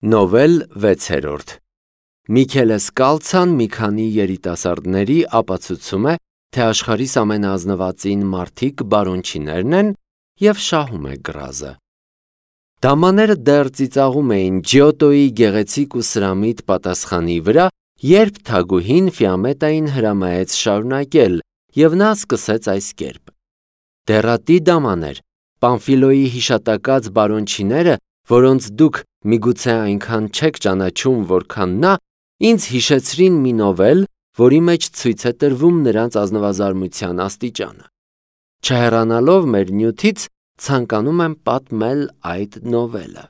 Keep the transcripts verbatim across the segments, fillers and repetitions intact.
Նովել վեցերորդ Միքելե Սկալցան մի քանի երիտասարդների ապացուցում է, թե աշխարհիս ամենաազնվածին մարդիկ բարոնչիներն են և շահում է գրազը։ Դամաները դեռ ծիծաղում էին Ջիոտոյի գեղեցիկ ու սրամիտ պատասխանի վրա, երբ թագուհին Ֆիամետային հրամայեց շարունակել, և նա սկսեց այս կերպ. «Դեռատի դամաներ, Պամֆիլոյի հիշատակած բարոնչիները, որոնց դուք միգուցե այնքան չեք ճանաչում, որքան նա, ինձ հիշեցրին մի նովել, որի մեջ ցույց է տրվում նրանց ազնվազարմության աստիճանը։ Չհեռանալով մեր նյութից, ցանկանում եմ պատմել այդ նովելը»։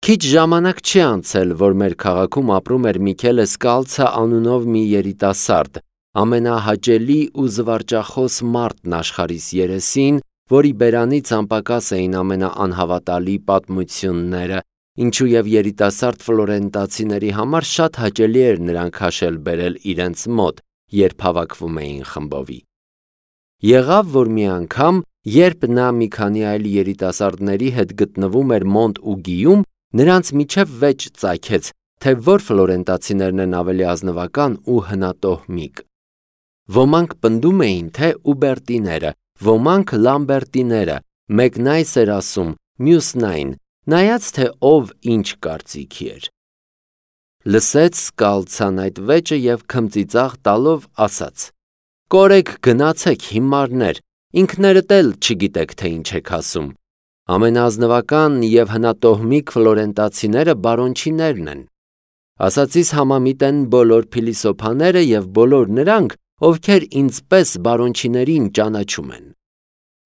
Քիչ ժամանակ չի անցել, որ մեր քաղաքում ապրում էր Միքելե Սկալցա անունով մի երիտասարդ, ամենահաճելի ու զվարճախոս մարդն աշխարհիս երեսին, որի բերանից անպակաս էին ամենաանհավատալի պատմությունները, ինչու և երիտասարդ ֆլորենտացիների համար շատ հաճելի էր նրան քաշել բերել իրենց մոտ, երբ հավաքվում էին խմբովի։ Եղավ, որ մի անգամ, երբ նա մի քանի այլ երիտասարդների հետ գտնվում էր Մոնտ-Ուգիում, նրանց միջև վեճ ծագեց, թե որ ֆլորենտացիներն են ավելի ազնվական ու հնատոհմիկ։ Ոմանք պնդում էին, թե Ուբերտիները, ոմանք Լամբերտիները, մեկն այս էր ասում, մյուսն այն, նայած թե ով ինչ կարծիքի էր։ Լսեց Սկալցան այդ վեճը և քմծիծաղ տալով ասաց. «Կորեք գնացեք, հիմարներ, ինքներդ էլ չգիտեք, թե ինչ եք ասում։ Ամենաազնվական և հնատոհմիկ ֆլորենտացիները բարոնչիներն են։ Ասածիս համամիտ են բոլոր փիլիսոփաները և բոլոր նրանք, ովքեր ինձ պես բարոնչիներին ճանաչում են։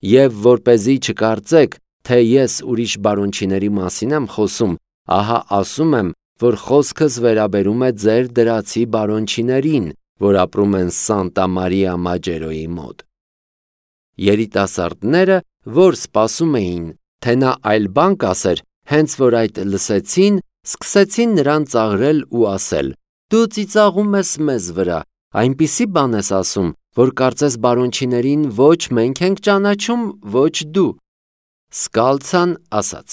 Եվ որպեսզի չկարծեք, թե ես ուրիշ բարոնչիների մասին եմ խոսում, ահա ասում եմ, որ խոսքս վերաբերում է ձեր դրացի բարոնչիներին, որ ապրում են Սանտա Մարիա Մաջերոյի մոտ»։ Երիտասարդները, որ սպասում էին, թե նա այլ բան կասեր, հենց որ այդ լսեցին, սկսեցին նրան ծաղրել ու ասել. «Դու ծիծաղում ես մեզ վրա, այնպիսի բան ես ասում, որ կարծես բարոնչիներին ոչ մենք ենք ճանաչում, ոչ դու»։ Սկալցան ասաց.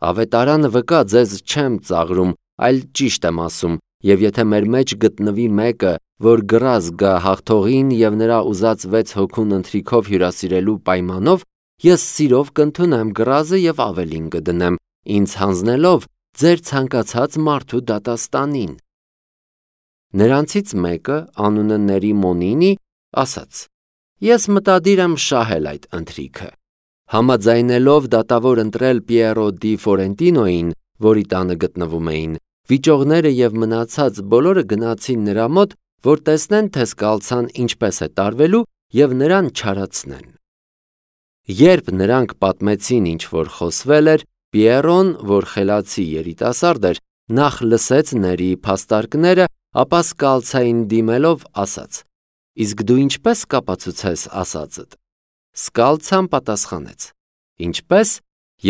«Ավետարանը վկա, ձեզ չեմ ծաղրում, այլ ճիշտ եմ ասում, և եթե մեր մեջ գտնվի մեկը, որ գրազ գա հաղթողին և նրա ուզած վեց հոգուն ընթրիքով հյուրասիրելու պայմանով, ես սիրով կընդունեմ գրազը և ավելին կդնեմ, ինձ հանձնելով ձեր ցանկացած մարդու դատաստանին»։ Նրանցից մեկը, անունը Ներիմոնինի, ասաց. «Ես մտադիր եմ շահել այդ ընթրիքը»։ Համաձայնելով դատավոր ընտրել Պիերո դի Ֆորենտինոյին, որի տանը գտնվում էին, վիճողները և մնացած բոլորը գնացին նրա մոտ, որ տեսնեն, թե Սկալցան ինչպես է տարվելու և նրան չարացնեն։ Երբ նրանք պատմեցին, ինչ որ խոսվել էր, Պիերոն, որ խելացի երիտասարդ էր, նախ լսեց Ներիի փաստարկները, ապա Սկալցային դիմելով ասաց. «Իսկ դու ինչպե՞ս կապացուցես ասածդ»։ Սկալցան պատասխանեց. «Ինչպե՞ս,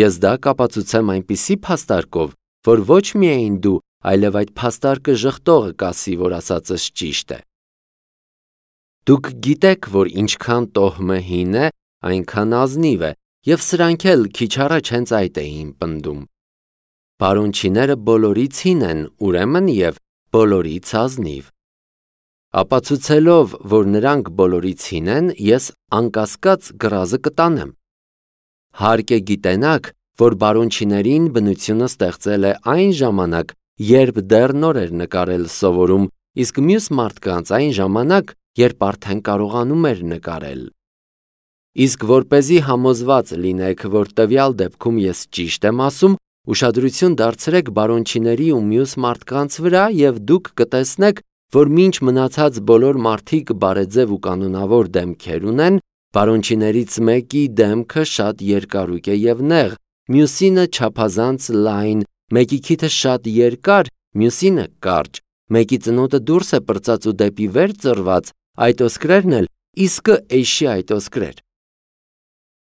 ես դա կապացուցեմ այնպիսի փաստարկով, որ ոչ միայն դու, այլև այդ փաստարկը ժխտողը կասի, որ ասածս ճիշտ է։ Դուք գիտեք, որ ինչքան տոհմը հին է, այնքան ազնիվ է, և սրանք էլ քիչ առաջ հենց այդ էին պնդում։ Բարոնչիները բոլորից հին են, ուրեմն և բոլորից ազնիվ։ Ապացուցելով, որ նրանք բոլորից հին են, ես անկասկած գրազը կտանեմ։ Հարկ է գիտենաք, որ բարոնչիներին բնությունը ստեղծել է այն ժամանակ, երբ դեռ նոր էր նկարել սովորում, իսկ մյուս մարդկանց այն ժամանակ, երբ արդեն կարողանում էր նկարել։ Իսկ որպեսզի համոզված լինեք, որ տվյալ դեպքում ես ճիշտ եմ ասում, ուշադրություն դարձրեք բարոնչիների ու մյուս մարդկանց վրա և դուք կտեսնեք, որ մինչ մնացած բոլոր մարդիկ բարեձև ու կանոնավոր դեմքեր ունեն, բարոնչիներից մեկի դեմքը շատ երկարույկ է և նեղ, մյուսինը չափազանց լայն, մեկի քիթը շատ երկար, մյուսինը կարճ, մեկի ծնոտը դուրս է պրծած ու դեպի վեր ծռված, այդ ոսկրերն էլ իսկը էշի այդ ոսկրեր։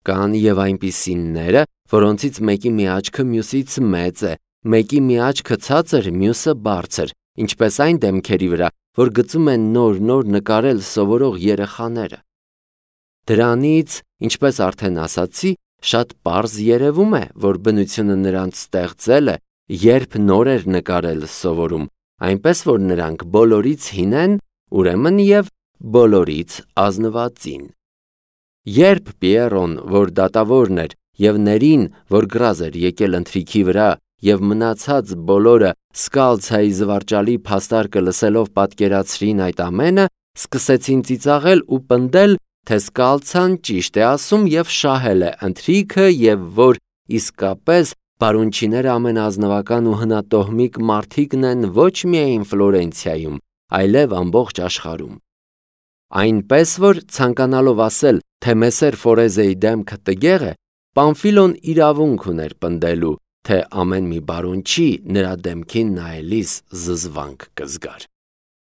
Կան և այնպիսիները, որոնցից մեկի մի աչքը մյուսից մեծ է, մեկի մի աչքը ցածր, մյուսը բարձր, ինչպես այն դեմքերի վրա, որ գծում են նոր-նոր նկարել սովորող երեխաները։ Դրանից, ինչպես արդեն ասացի, շատ պարզ երևում է, որ բնությունը նրանց ստեղծել է Երբ նոր էր նկարել սովորում, այնպես որ նրանք բոլորից հին են, ուրեմն և բոլորից ազնվածին։ Երբ Պիերոն, որ դատավորն էր, և Ներին, որ գրազ էր եկել ընթրիքի վրա, և մնացած բոլորը Սկալցիայի զվարճալի փաստարկը լսելով պատկերացրին այդ ամենը, սկսեցին ծիծաղել ու պնդել, թե Սկալցան ճիշտ է ասում և շահել է ընթրիքը, և որ իսկապես բարունչիները ամենաազնվական ու հնատոհմիկ մարդիկն են ոչ միայն Ֆլորենցիայում, այլև ամբողջ աշխարհում։ Այնպես որ, ցանկանալով ասել, թե Մեսեր Ֆորեզեի դեմքը տգեղ է, Պամֆիլոն իրավունք ուներ պնդելու, թե ամեն մի բարունչի նրա դեմքին նայելիս զզվանք կզգար։